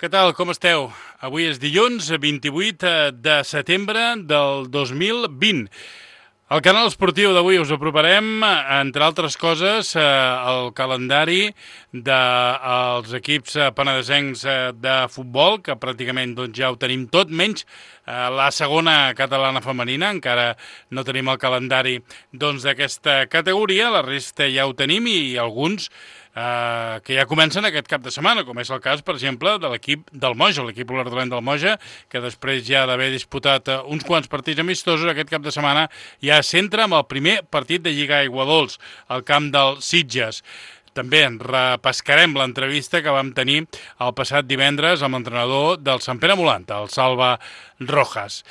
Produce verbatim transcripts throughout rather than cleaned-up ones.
Què tal, com esteu? Avui és dilluns, vint-i-vuit de setembre del dos mil vint. Al canal esportiu d'avui us aproparem, entre altres coses, el calendari dels equips penedesencs de futbol, que pràcticament doncs, ja ho tenim tot, menys la segona catalana femenina. Encara no tenim el calendari doncs, d'aquesta categoria, la resta ja ho tenim i alguns Uh, que ja comencen aquest cap de setmana, com és el cas, per exemple, de l'equip del Moja, l'equip olerdolent del Moja, que després ja d'haver disputat uh, uns quants partits amistosos, aquest cap de setmana ja s'entra amb el primer partit de Lliga Aiguadols, al camp del Sitges. També en repescarem l'entrevista que vam tenir el passat divendres amb l'entrenador del Sant Pere Molanta, el Salva Rojas.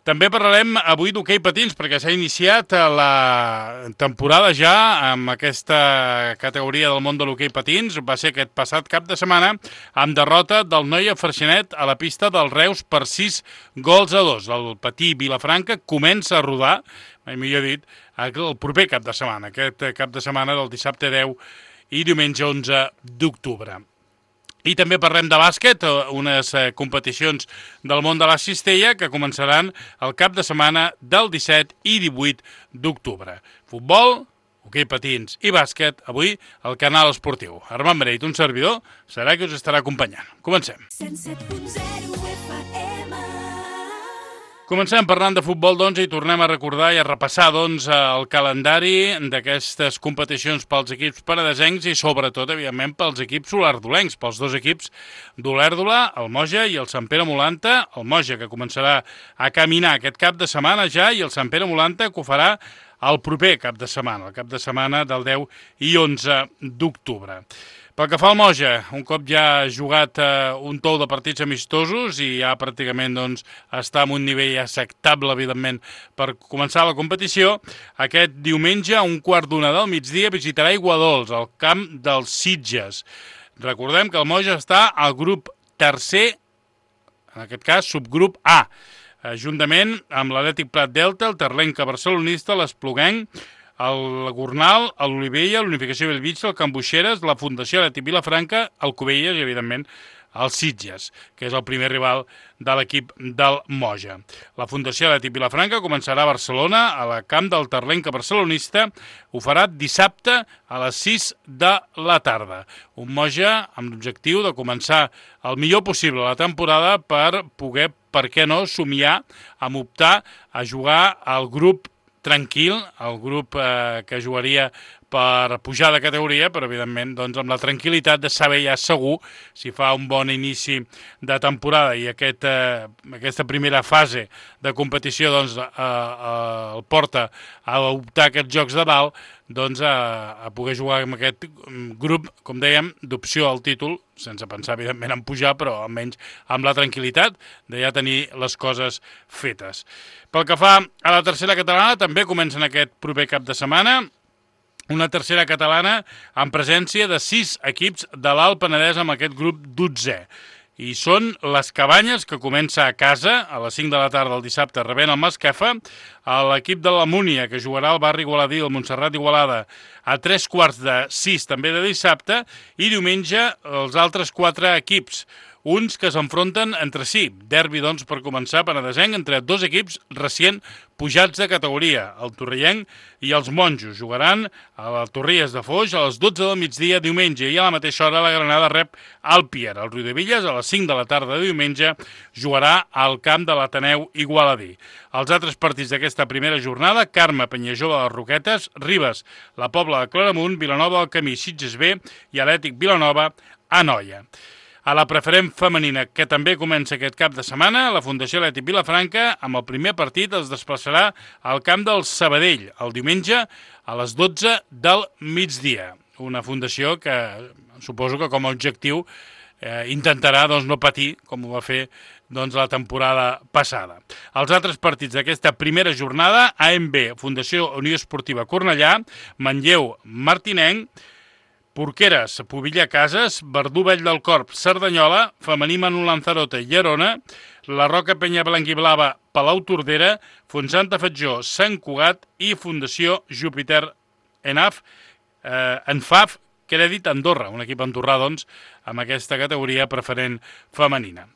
També parlarem avui d'hoquei patins, perquè s'ha iniciat la temporada ja amb aquesta categoria del món de l'hoquei patins. Va ser aquest passat cap de setmana amb derrota del Noia Freixenet a la pista del Reus per sis gols a dos. El patí Vilafranca comença a rodar, mai millor dit, el proper cap de setmana, aquest cap de setmana del dissabte deu i diumenge onze d'octubre. I també parlem de bàsquet, unes competicions del món de la cistella que començaran el cap de setmana del disset i divuit d'octubre. Futbol, hoquei patins i bàsquet, avui al canal esportiu. Armand Breit, un servidor, serà que us estarà acompanyant. Comencem. Comencem parlant de futbol, doncs, i tornem a recordar i a repassar, doncs, el calendari d'aquestes competicions pels equips penedesencs i, sobretot, evidentment, pels equips olerdolencs, pels dos equips d'Olèrdola, el Moja i el Sant Pere Molanta. El Moja, que començarà a caminar aquest cap de setmana ja, i el Sant Pere Molanta, que ho farà el proper cap de setmana, el cap de setmana del deu i onze d'octubre. Pel que fa al Moja, un cop ja ha jugat eh, un tou de partits amistosos i ja pràcticament doncs, està en un nivell acceptable, evidentment, per començar la competició, aquest diumenge, a un quart d'una del migdia, visitarà Aiguadols, al camp dels Sitges. Recordem que el Moja està al grup tercer, en aquest cas subgrup A, juntament amb l'Atlètic Prat Delta, el Terlenca Barcelonista, l'Espluguenc, el Gornal, l'Olivella, l'Unificació Bellvitge, el Can Buixeres, la Fundació Atlètic Vilafranca, el Cubelles i, evidentment, el Sitges, que és el primer rival de l'equip del Moja. La Fundació Atlètic Vilafranca començarà a Barcelona, a la camp del Terlenca Barcelonista. Ho farà dissabte a les sis de la tarda. Un Moja amb l'objectiu de començar el millor possible la temporada per poder, per què no, somiar amb optar a jugar al grup tranquil, el grup eh, que jugaria per pujar de categoria, però evidentment doncs, amb la tranquil·litat de saber ja segur si fa un bon inici de temporada i aquest, eh, aquesta primera fase de competició doncs, eh, eh, el porta a optar aquests jocs de dalt, doncs a, a poder jugar amb aquest grup, com dèiem, d'opció al títol, sense pensar evidentment en pujar, però almenys amb la tranquil·litat de ja tenir les coses fetes. Pel que fa a la tercera catalana, també comencen aquest proper cap de setmana, una tercera catalana en presència de sis equips de l'Alt Penedès amb aquest grup dotzè. I són les Cabanyes, que comença a casa a les cinc de la tarda del dissabte rebent el Masquefa, l'equip de la Múnia, que jugarà al barri igualadí, el Montserrat Igualada, a tres quarts de sis també de dissabte, i diumenge els altres quatre equips, uns que s'enfronten entre si. Derbi, doncs, per començar, penedesenc, entre dos equips recient pujats de categoria, el Torrellenc i els Monjos. Jugaran a la Torries de Foix a les dotze del migdia diumenge i a la mateixa hora la Granada rep al Pier. El Riudevilles a les cinc de la tarda de diumenge jugarà al camp de l'Ateneu Igualadí. Els altres partits d'aquesta primera jornada: Carme, Penyajova de les Roquetes, Ribes, la Pobla de Claramunt, Vilanova del Camí, Sitges B i Atlètic Vilanova a Noia. A la preferent femenina, que també comença aquest cap de setmana, la Fundació Atlètic Vilafranca, amb el primer partit, es desplaçarà al camp del Sabadell, el diumenge a les dotze del migdia. Una fundació que suposo que com a objectiu eh, intentarà doncs, no patir, com ho va fer doncs, la temporada passada. Els altres partits d'aquesta primera jornada: A M B, Fundació Unió Esportiva Cornellà, Manlleu, Martinenc, Porqueres, Pobilla Cases, Verdú Vell del Corp, Cerdanyola, Femení Manu Lanzarote, Llerona, la Roca Penya Blanc i Blava, Palau Tordera, Fontsanta Fatjó, Sant Cugat i Fundació Júpiter Enaf, eh, Enfaf, Crèdit Andorra, un equip andorrà, doncs, amb aquesta categoria preferent femenina.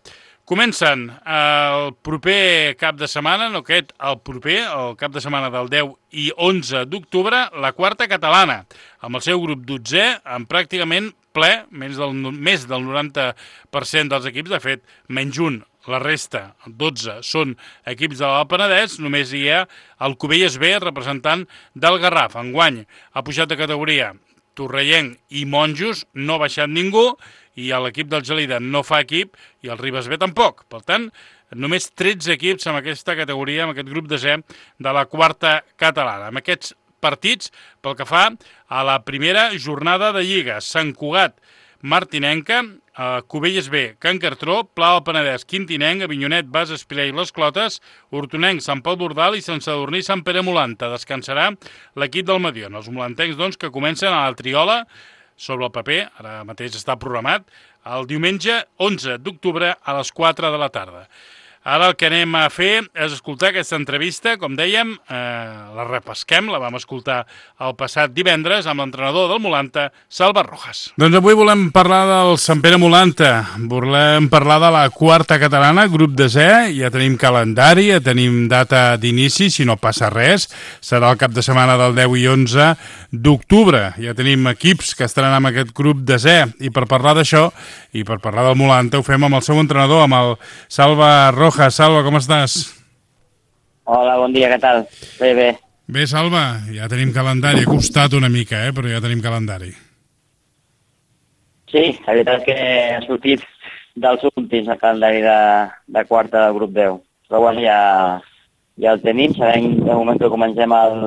Comencen el proper cap de setmana, no aquest, el proper, el cap de setmana del deu i onze d'octubre, la quarta catalana, amb el seu grup dotzè, amb pràcticament ple, més del, més del noranta per cent dels equips, de fet, menys un, la resta, dotze, són equips de l'Alt Penedès, només hi ha el Cubelles B, representant del Garraf. Enguany ha pujat de categoria Torrellenc i Monjos, no ha baixat ningú, i l'equip del Gelida no fa equip, i el Ribes B tampoc. Per tant, només tretze equips amb aquesta categoria, amb aquest grup desè de la quarta catalana. Amb aquests partits, pel que fa a la primera jornada de Lliga, Sant Cugat, Martinenca, eh, Cubelles B, Can Cartró, Pla del Penedès, Quintinenc, Avinyonet, Bas, Espirà i Les Clotes, Hortonenc, Sant Pau d'Ordal i Sant Sadurní, Sant Pere Molanta. Descansarà l'equip del Mediona. Els molantencs, doncs, que comencen a la Triola, sobre el paper, ara mateix està programat, el diumenge onze d'octubre a les quatre de la tarda. Ara el que anem a fer és escoltar aquesta entrevista, com dèiem, eh, la repesquem, la vam escoltar el passat divendres amb l'entrenador del Molanta, Salva Rojas. Doncs avui volem parlar del Sant Pere Molanta, volem parlar de la quarta catalana, grup desè, ja tenim calendari, ja tenim data d'inici, si no passa res, serà el cap de setmana del deu i onze d'octubre, ja tenim equips que estaran amb aquest grup desè, i per parlar d'això, i per parlar del Molanta, ho fem amb el seu entrenador, amb el Salva Rojas. Salva, com estàs? Hola, bon dia, què tal? Bé, bé. Bé, Salva, ja tenim calendari, ha costat una mica, eh, però ja tenim calendari. Sí, la veritat és que ha sortit dels últims el calendari de, de quarta del grup deu. Però bueno, ja, ja el tenim, sabem de moment que comencem el,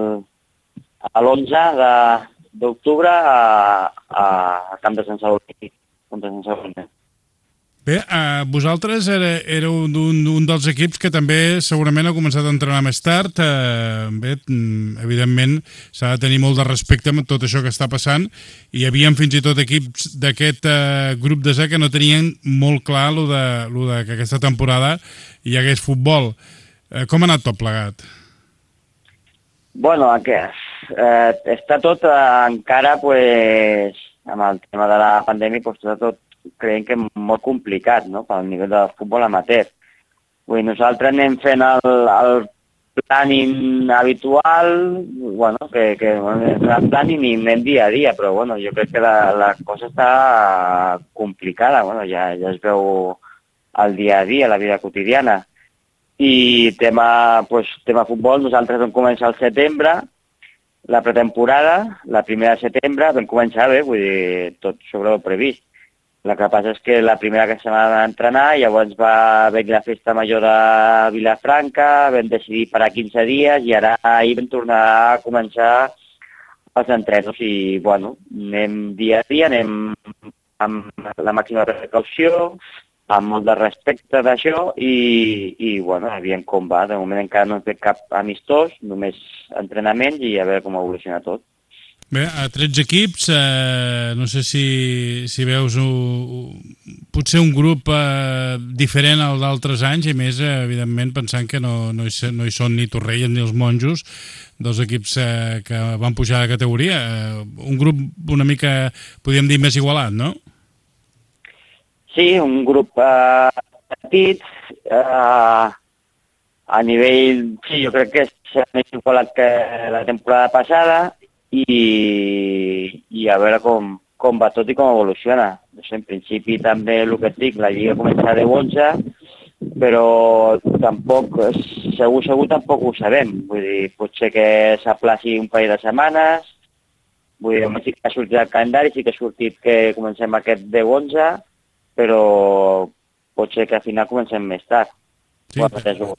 a l'onze d'octubre a, a, a Camp de Sant Sadurní, contra Sant Sadurní. Bé, eh, vosaltres era, éreu un, un dels equips que també segurament ha començat a entrenar més tard. Eh, bé, evidentment s'ha de tenir molt de respecte amb tot això que està passant. Hi havia fins i tot equips d'aquest eh, grup desè que no tenien molt clar lo de, lo de que aquesta temporada hi hagués futbol. Eh, com ha anat tot plegat? Bueno, aquest, eh, està tot eh, encara, pues, amb el tema de la pandèmia, pues, està tot creiem que molt complicat, no?, pel nivell del futbol amateur. Vull dir, nosaltres anem fent el, el planning habitual, bueno, que, que bueno, el planning i anem dia a dia, però bueno, jo crec que la, la cosa està complicada, bueno, ja, ja es veu el dia a dia, la vida quotidiana. I tema, pues, tema futbol, nosaltres vam començar al setembre, la pretemporada, la primera de setembre, vam començar bé, vull dir, tot sobre el previst. El que passa és que la primera que se va entrenar, llavors va venir la festa major de Vilafranca, vam decidir parar quinze dies i ara ahir vam tornar a començar els entrenos i, bueno, anem dia a dia, anem amb la màxima precaució, amb molt de respecte d'això i, i, bueno, aviam com va. De moment encara no hem fet cap amistós, només entrenaments i a veure com evoluciona tot. Bé, a tretze equips, eh, no sé si, si veus un, potser un grup eh, diferent al d'altres anys i més, eh, evidentment, pensant que no, no, hi, no hi són ni Torrelles ni els Monjos, dos equips eh, que van pujar de categoria. Eh, un grup una mica, podríem dir, més igualat, no? Sí, un grup eh, petit, eh, a nivell, sí, jo crec que és més igualat que la temporada passada, i, i a veure com, com va tot i com evoluciona. En principi també el que et dic, la Lliga començarà de onze, però tampoc, segur, segur tampoc ho sabem. Vull dir, potser que s'aplaci un parell de setmanes, vull dir, sí que ha sortit el calendari, sí que ha sortit que comencem aquest deu onze, però pot ser que al final comencem més tard. Sí, bueno,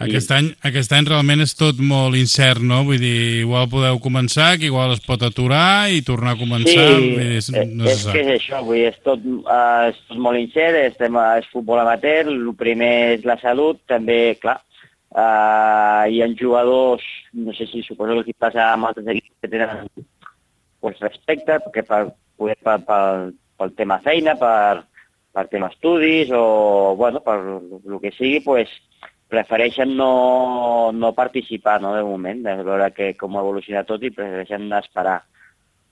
aquest, any, aquest any realment és tot molt incert, no? Vull dir, igual podeu començar, que igual es pot aturar i tornar a començar. Sí, dir, no és que és això, vull dir, és tot, uh, és tot molt incert, és, tema, és futbol amateur, el primer és la salut, també, clar, uh, hi ha jugadors, no sé si suposo que aquí passa amb altres equips que tenen pues, respecte, perquè per, per, per, per, pel tema feina, per, per tema estudis o, bueno, per el que sigui, pues, prefereixen no, no participar, no, de moment, de veure que, com evoluciona tot i prefereixen esperar.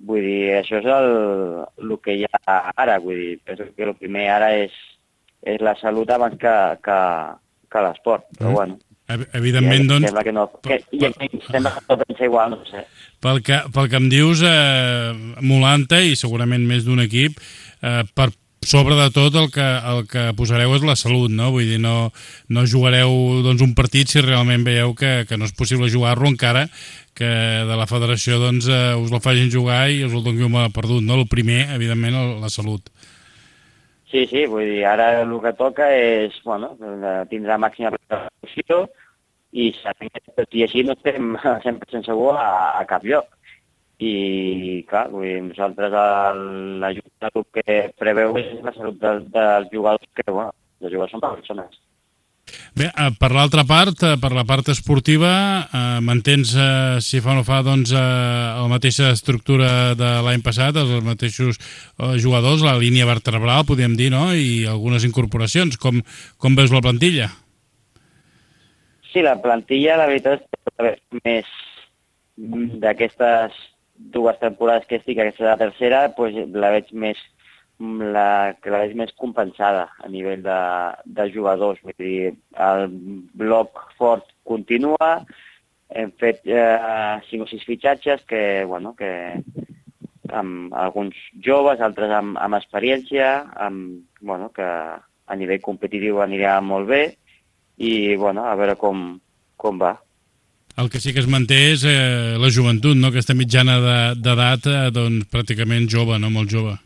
Vull dir, això és el, el que hi ha ara, vull dir, penso que el primer ara és, és la salut abans que, que, que l'esport, però mm. bueno. Evidentment, doncs... Sembla que no, que, per, per, sembla que no pensa igual, no sé. Pel que, pel que em dius, eh, Molanta i segurament més d'un equip, eh, per sobre de tot el que, el que posareu és la salut, no? Vull dir, no, no jugareu doncs, un partit si realment veieu que, que no és possible jugar-lo, encara que de la federació doncs, eh, us el facin jugar i us el doni un perdut, no? El primer, evidentment, la salut. Sí, sí, vull dir, ara el que toca és, bueno, tindrà màxima precaució i tot i així no estem cent per cent segur a, a cap lloc. I, clar, vull dir, nosaltres l'ajuda que preveu és la salut dels, dels jugadors, que, bueno, els jugadors són persones. Bé, per l'altra part, per la part esportiva, eh, mantens, eh, si fa o no fa, doncs, eh, la mateixa estructura de l'any passat, els mateixos eh, jugadors, la línia vertebral, podríem dir, no?, i algunes incorporacions. Com, com veus la plantilla? Sí, la plantilla, la veritat, és més d'aquestes dues temporades que estic, aquesta és la tercera, pues, la veig més la que la veig més compensada a nivell de, de jugadors. Vull dir, el bloc fort continua, hem fet eh, cinc o sis fitxatges que, bueno, que amb alguns joves, altres amb, amb experiència, amb, bueno, que a nivell competitiu anirà molt bé i, bueno, a veure com, com va. El que sí que es manté és eh, la joventut, no? Aquesta mitjana d'edat, eh, doncs, pràcticament jove, no? Molt jove.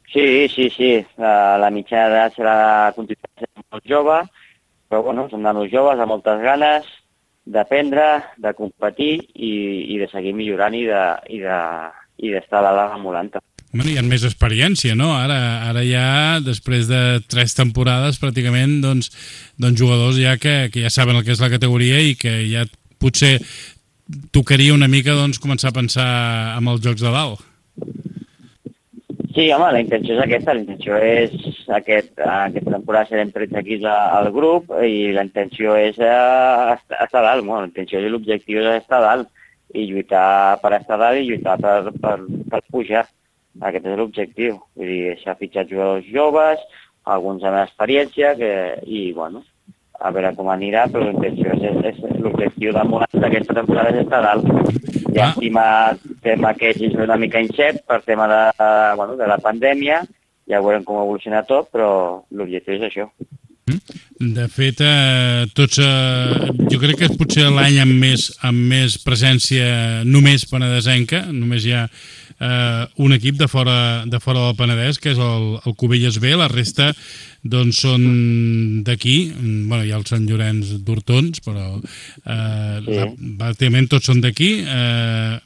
Sí, sí, sí. La, la mitjana d'edat serà continuar sent molt jove, però, bueno, són nanos joves amb moltes ganes d'aprendre, de competir i, i de seguir millorant i de, i de, i d'estar a dalt emulant-te. Bueno, hi ha més experiència, no? Ara, ara ja, després de tres temporades, pràcticament, doncs, doncs jugadors ja que, que ja saben el que és la categoria i que ja potser tocaria una mica doncs, començar a pensar en els jocs de dalt. Sí, home, la intenció és aquesta. La intenció és aquest, aquesta temporada serem tretze equips al grup i la intenció és estar, estar dalt. Bueno, la intenció i l'objectiu és estar dalt i lluitar per estar dalt i lluitar per, per, per pujar. Aquest és l'objectiu. Vull dir, s'ha fitxat jugadors joves, alguns amb experiència, que, i, bueno, a veure com anirà, però l'intenció és, és, és l'objectiu del Molans d'aquesta temporada és estar dalt. I ah. estima tema que és una mica incert per tema de, bueno, de la pandèmia, ja veurem com evoluciona tot, però l'objectiu és això. De fet, eh, tots, eh, jo crec que és potser l'any amb més, amb més presència només penedesenca, només hi ha eh, un equip de fora, de fora del Penedès, que és el, el Cubelles B, la resta doncs són d'aquí, bueno, hi ha el Sant Llorenç d'Hortons, però eh, sí. pràcticament tots són d'aquí, eh,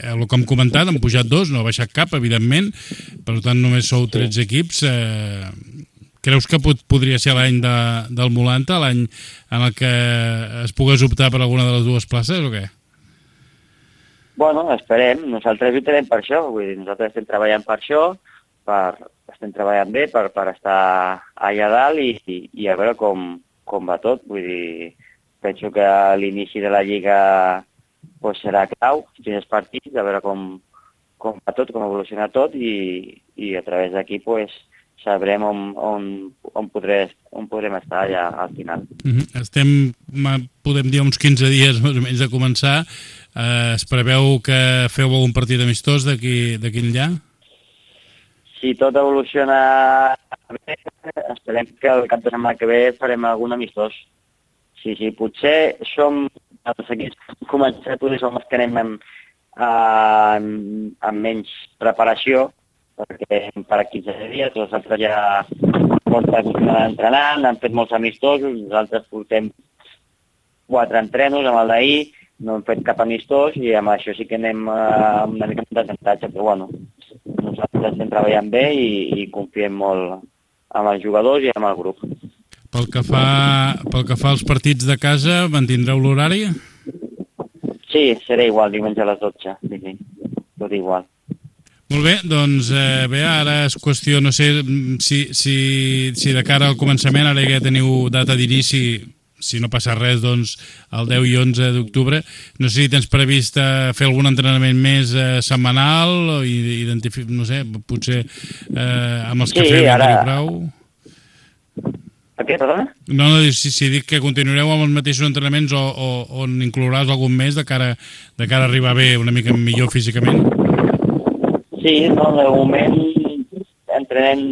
el que hem comentat, han pujat dos, no ha baixat cap, evidentment, per tant només sou tretze sí. equips. Eh, creus que pot, podria ser l'any de, del Molanta, l'any en el que es pogués optar per alguna de les dues places o què? Bueno, esperem, nosaltres lluitarem per això, vull dir, nosaltres estem treballant per això, per, estem treballant bé per, per estar allà dalt i, i, i a veure com, com va tot. Vull dir, penso que l'inici de la Lliga pues, serà clau, quins partits, a veure com, com va tot, com evoluciona tot i, i a través d'aquí pues, sabrem on, on, on, podré, on podrem estar allà al final. Uh-huh. Estem, podem dir, uns quinze dies més o menys de començar. Eh, es preveu que feu algun partit amistós d'aquí enllà? Si tot evoluciona bé, esperem que el cap de setmana que ve farem algun amistós. Sí, sí, potser som els equips que començar, potser som els que anem amb, amb, amb menys preparació, perquè per quinze dies, els altres ja porten entrenant, han fet molts amistosos, nosaltres portem quatre entrenos amb el d'ahir, no hem fet cap amistós i amb això sí que anem uh, una mica de desavantatge, però bueno, nosaltres estem treballant bé i, i confiem molt amb els jugadors i amb el grup. Pel que fa, pel que fa als partits de casa, mantindreu l'horari? Sí, serà igual, diumenge a les dotze, sí, sí, tot igual. Molt bé, doncs eh, bé, ara és qüestió, no sé si, si, si de cara al començament, ara ja teniu data d'inici, si no passa res, doncs, el deu i onze d'octubre. No sé si tens previst fer algun entrenament més eh, setmanal o identificar, no sé, potser eh, amb els Sí, que feu ara... i prou. Què, perdona? No, no, si, si dic que continuareu amb els mateixos entrenaments o, o on inclouràs algun més de cara, de cara a arribar bé una mica millor físicament? Sí, no, de moment entrenem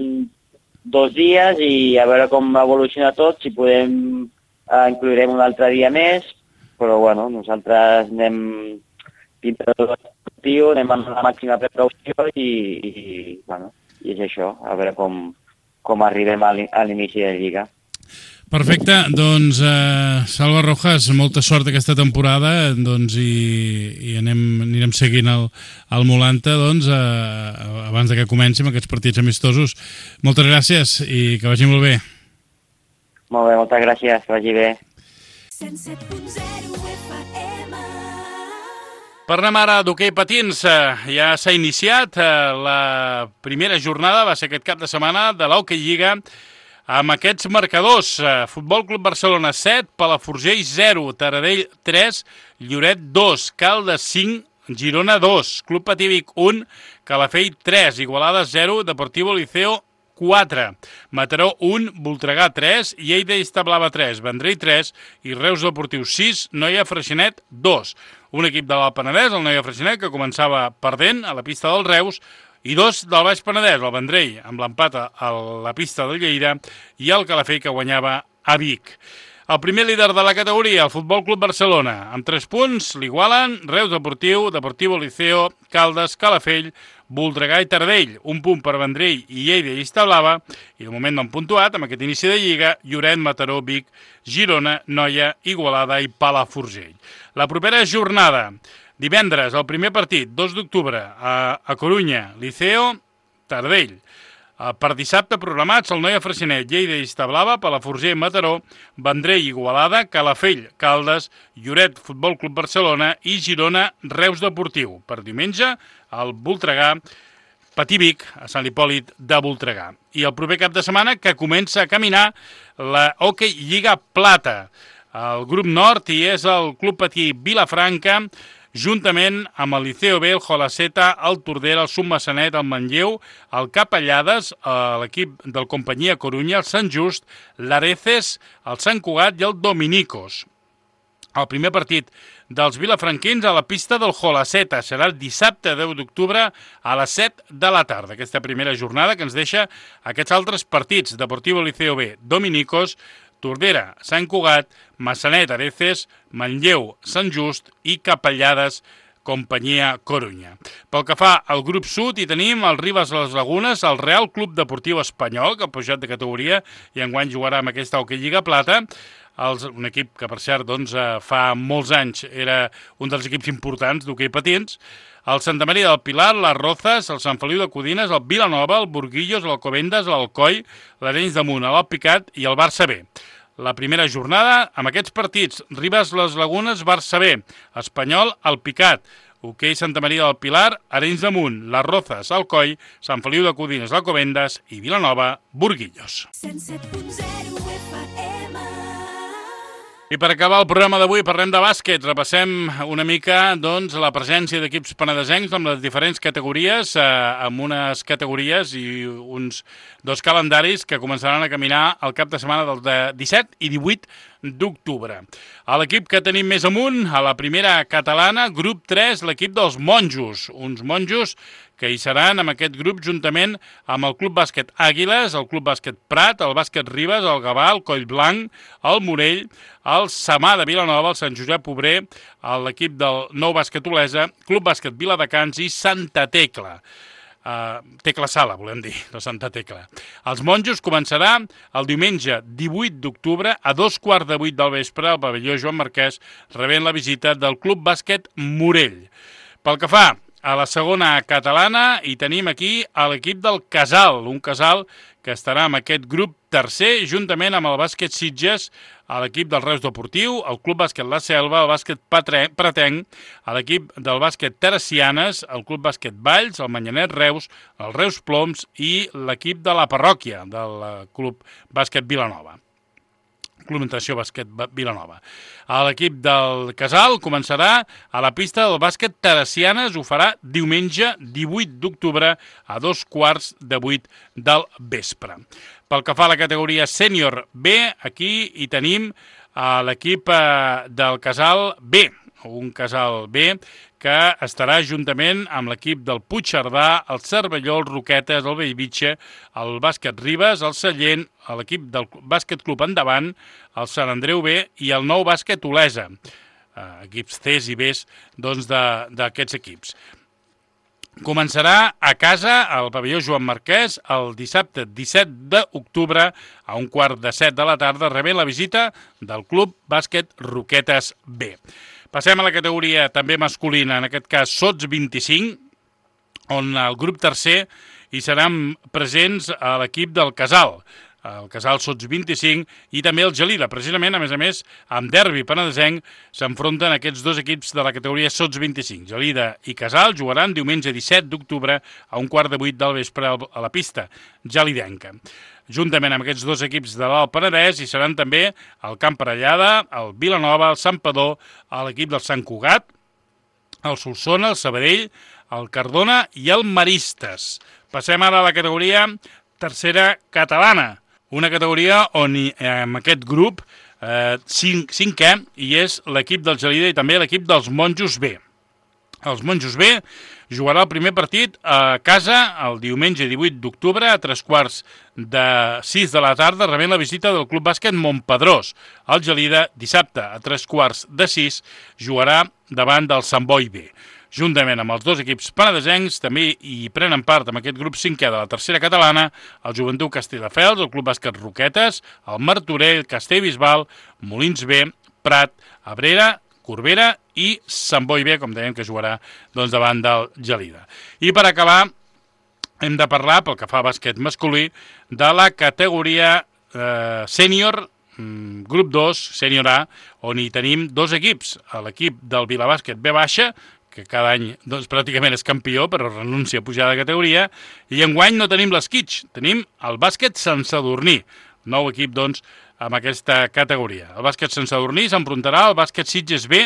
dos dies i a veure com evoluciona tot, si podem eh, incluirem un altre dia més, però bueno, nosaltres anem dintre del esportiu, anem amb la màxima precaució i, i, bueno, i és això, a veure com, com arribem a l'inici de la Lliga. Perfecte, doncs eh, Salva Rojas, molta sort aquesta temporada, doncs, i, i anem, anirem seguint el, el Molanta doncs, eh, abans de que comencin aquests partits amistosos. Moltes gràcies i que vagi molt bé. Molt bé, moltes gràcies, que vagi bé. Parlem ara d'hoquei patins. Ja s'ha iniciat la primera jornada, va ser aquest cap de setmana, de l'Hockey Lliga, amb aquests marcadors: Futbol Club Barcelona set, Palafrugell zero, Taradell tres, Lloret dos, Caldes cinc, Girona dos, Club Patí Vic un, Calafell tres, Igualada zero, Deportivo Liceo quatre, Mataró un, Voltregà tres, Lleida i Establava tres, Vendrell tres i Reus Deportiu sis, Noia Freixenet dos. Un equip de l'Alt Penedès, el Noia Freixenet, que començava perdent a la pista del Reus, i dos del Baix Penedès, el Vendrell, amb l'empat a la pista del Lleida, i el Calafell, que guanyava a Vic. El primer líder de la categoria, el Futbol Club Barcelona, amb tres punts, l'igualen Reus Deportiu, Deportivo Liceo, Caldes, Calafell, Voltregà i Taradell, un punt per Vendrell i Lleida i Establava, i de moment no han puntuat amb aquest inici de Lliga, Lloret, Mataró, Vic, Girona, Noia, Igualada i Palafrugell. La propera jornada, divendres, el primer partit, dos d'octubre, a, a Corunya, Liceo, Taradell. Per dissabte programats el Noia Freixenet, Lleida i Establava, Palafrugell, Mataró, Vendrell, Igualada, Calafell, Caldes, Lloret, Futbol Club Barcelona i Girona, Reus Deportiu. Per diumenge, el Voltregà, Patí Vic, a Sant Hipòlit de Voltregà. I el proper cap de setmana que comença a caminar la Hockey Lliga Plata. El grup nord hi és el Club Patí Vilafranca, juntament amb el Liceo B, el Jolaceta, el Tordera, el Submassanet, el Manlleu, el Capellades, l'equip del Companyia Corunya, el Sant Just, l'Areces, el Sant Cugat i el Dominicos. El primer partit dels vilafranquins a la pista del Jolaceta serà el dissabte deu d'octubre a les set de la tarda. Aquesta primera jornada que ens deixa aquests altres partits: Deportivo Liceo B, Dominicos, Tordera, Sant Cugat, Massanet, Areces, Manlleu, Sant Just i Capellades, Companyia Corunya. Pel que fa al grup sud, hi tenim el Ribes les Lagunes, el Real Club Deportiu Espanyol, que ha pujat de categoria i enguany jugarà amb aquesta Hockey Lliga Plata. Els, un equip que, per cert, doncs, fa molts anys era un dels equips importants d'hoquei patins. El Santa Maria del Pilar, les Rozas, el Sant Feliu de Codines, el Vilanova, el Burguillos, l'Alcobendas, l'Alcoi, l'Arenys de Munt, l'Alpicat i el Barça B. La primera jornada, amb aquests partits: Ribes les Lagunes, Barça B, Espanyol, Alpicat, Hoquei Santa Maria del Pilar, Arenys de Munt, les Rozas, Alcoi, Sant Feliu de Codines, l'Alcobendas i Vilanova, Burguillos. I per acabar el programa d'avui parlem de bàsquet. Repassem una mica doncs, la presència d'equips penedesencs amb les diferents categories, eh, amb unes categories i uns dos calendaris que començaran a caminar el cap de setmana del de disset i divuit d'octubre. A l'equip que tenim més amunt, a la primera catalana, grup tres, l'equip dels monjos. Uns monjos que hi seran amb aquest grup juntament amb el Club Bàsquet Àguiles, el Club Bàsquet Prat, el Bàsquet Ribes, el Gavà, el Collblanc, el Morell, el Samà de Vilanova, el Sant Josep Obrer, l'equip del Nou Bàsquet Olesa, Club Bàsquet Viladecans i Santa Tecla. Uh, Tecla Sala, volem dir, de Santa Tecla. Els monjos començarà el diumenge divuit d'octubre a dos quarts de vuit del vespre al pavelló Joan Marquès, rebent la visita del Club Bàsquet Morell. Pel que fa a la segona catalana, hi tenim aquí a l'equip del Casal, un Casal que estarà amb aquest grup tercer, juntament amb el bàsquet Sitges, a l'equip del Reus Deportiu, el Club Bàsquet La Selva, el bàsquet Pratenc, a l'equip del bàsquet Teresianes, el Club Bàsquet Valls, el Manyanet Reus, el Reus Ploms i l'equip de la parròquia del Club Bàsquet Vilanova. Club Natació Bàsquet Vilanova. L'equip del Casal començarà a la pista del bàsquet Teresianes, ho farà diumenge divuit d'octubre a dos quarts de vuit del vespre. Pel que fa a la categoria sènior B, aquí hi tenim l'equip del Casal B, un Casal B que estarà juntament amb l'equip del Puigcerdà, el Cervelló, el Roquetes, el Bellvitge, el Bàsquet Ribes, el Sallent, l'equip del Bàsquet Club Endavant, el Sant Andreu B i el nou Bàsquet Olesa, eh, equips Cs i Bs doncs, d'aquests equips. Començarà a casa al pavelló Joan Marquès el dissabte disset d'octubre a un quart de set de la tarda, rebent la visita del Club Bàsquet Roquetes B. Passem a la categoria també masculina, en aquest cas sots vint-i-cinc, on el grup tercer hi seran presents a l'equip del Casal, el Casal sots vint-i-cinc i també el Gelida. Precisament, a més a més, amb derbi penedesenc s'enfronten aquests dos equips de la categoria sots vint-i-cinc. Gelida i Casal jugaran diumenge disset d'octubre a un quart de vuit del vespre a la pista gelidenca. Juntament amb aquests dos equips de l'Alt Penedès hi seran també el Camp Parellada, el Vilanova, el Santpedor, l'equip del Sant Cugat, el Solsona, el Sabadell, el Cardona i el Maristes. Passem ara a la categoria tercera catalana, una categoria on hi, en aquest grup eh, cinc, cinquè hi és l'equip del Gelida i també l'equip dels Monjos B. Els Monjos B jugarà el primer partit a casa el diumenge divuit d'octubre a tres quarts de sis de la tarda, rebent la visita del Club Bàsquet Montpedrós. El Gelida, dissabte a tres quarts de sis, jugarà davant del Sant Boi B. Juntament amb els dos equips penedesencs, també hi prenen part amb aquest grup cinquè de la tercera catalana, el Joventut Castelldefels, el Club Bàsquet Roquetes, el Martorell, Castellbisbal, Molins B, Prat, Abrera, Corbera i Sant Boi B, com dèiem, que jugarà doncs, davant del Gelida. I per acabar, hem de parlar, pel que fa a bàsquet masculí, de la categoria eh, sènior, mm, grup dos, sènior A, on hi tenim dos equips. L'equip del Vilabàsquet B baixa, que cada any doncs, pràcticament és campió, però renuncia a pujar de categoria, i enguany no tenim l'esquitx, tenim el bàsquet Sant Sadurní, nou equip, doncs, amb aquesta categoria. El bàsquet Sant Sadurní s'enfrontarà al bàsquet Sitges B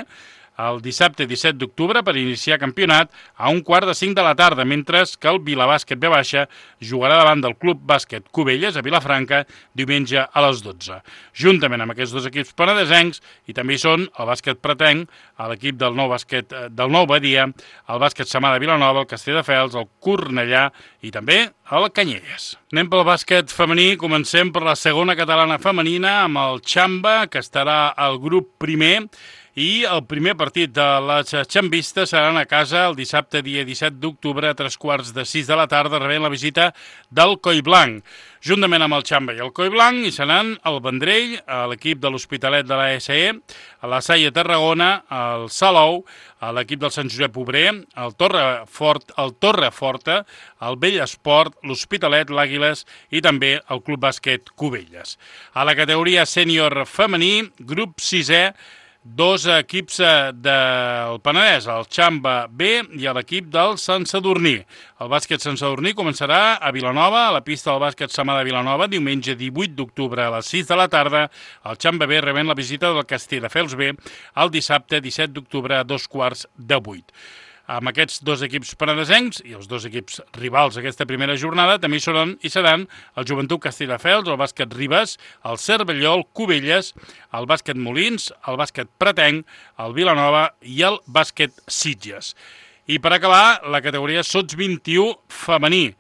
el dissabte disset d'octubre per iniciar campionat a un quart de cinc de la tarda, mentre que el Vilabàsquet B baixa jugarà davant del Club Bàsquet Cubelles a Vilafranca diumenge a les dotze. Juntament amb aquests dos equips penedesencs, i també hi són el bàsquet Pretenc, l'equip del nou bàsquet del Nou Badia, el bàsquet Samà de Vilanova, el Castelldefels, el Cornellà i també el Canyelles. Anem pel bàsquet femení, comencem per la segona catalana femenina amb el Xamba, que estarà al grup primer, i el primer partit de les xambistes seran a casa el dissabte dia disset d'octubre a tres quarts de sis de la tarda, rebent la visita del Collblanc. Juntament amb el Xamba i el Collblanc hi seran el Vendrell, l'equip de l'Hospitalet de la S E, la Saia Tarragona, el Salou, l'equip del Sant Josep Obrer, el Torrefort, el Torreforta, el Bellesport, l'Hospitalet, l'Àguiles i també el Club Bàsquet Cubelles. A la categoria sènior femení, grup sisè, dos equips del Penedès, el Xamba B i l'equip del Sant Sadurní. El bàsquet Sant Sadurní començarà a Vilanova, a la pista del bàsquet Samà de Vilanova, diumenge divuit d'octubre a les sis de la tarda. El Xamba B rebent la visita del Castelldefels B el dissabte disset d'octubre a dos quarts de vuit. Amb aquests dos equips penedesencs i els dos equips rivals d'aquesta primera jornada també hi seran, hi seran el Joventut Castelldefels, el bàsquet Ribes, el Cervelló, el Cubelles, el bàsquet Molins, el bàsquet Pretenc, el Vilanova i el bàsquet Sitges. I per acabar, la categoria sots vint-i-u femení.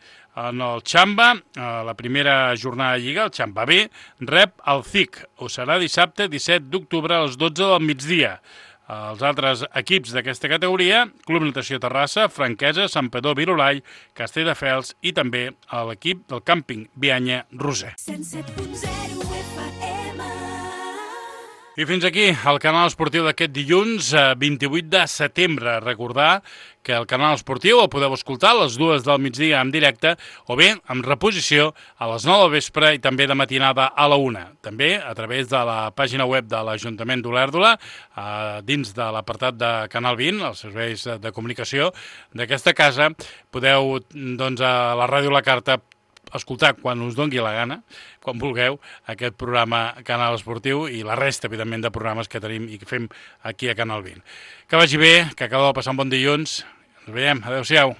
En el Xamba, a la primera jornada de Lliga, el Xamba B, rep el C I C. Ho serà dissabte disset d'octubre a les dotze del migdia. Els altres equips d'aquesta categoria, Club Natació Terrassa, Franquesa, Santpedor, Virolai, Castelldefels i també l'equip del càmping Bianya Roser. I fins aquí el canal esportiu d'aquest dilluns, vint-i-vuit de setembre. Recordar que el canal esportiu el podeu escoltar a les dues del migdia en directe o bé amb reposició a les nou del vespre i també de matinada a la una. També a través de la pàgina web de l'Ajuntament d'Olèrdola, dins de l'apartat de Canal vint, els serveis de comunicació d'aquesta casa, podeu, doncs, a la Ràdio La Carta escoltar quan us dongui la gana, quan vulgueu, aquest programa Canal Esportiu i la resta, evidentment, de programes que tenim i que fem aquí a Canal vint. Que vagi bé, que acabeu de passar un bon dilluns. Ens veiem. Adéu-siau.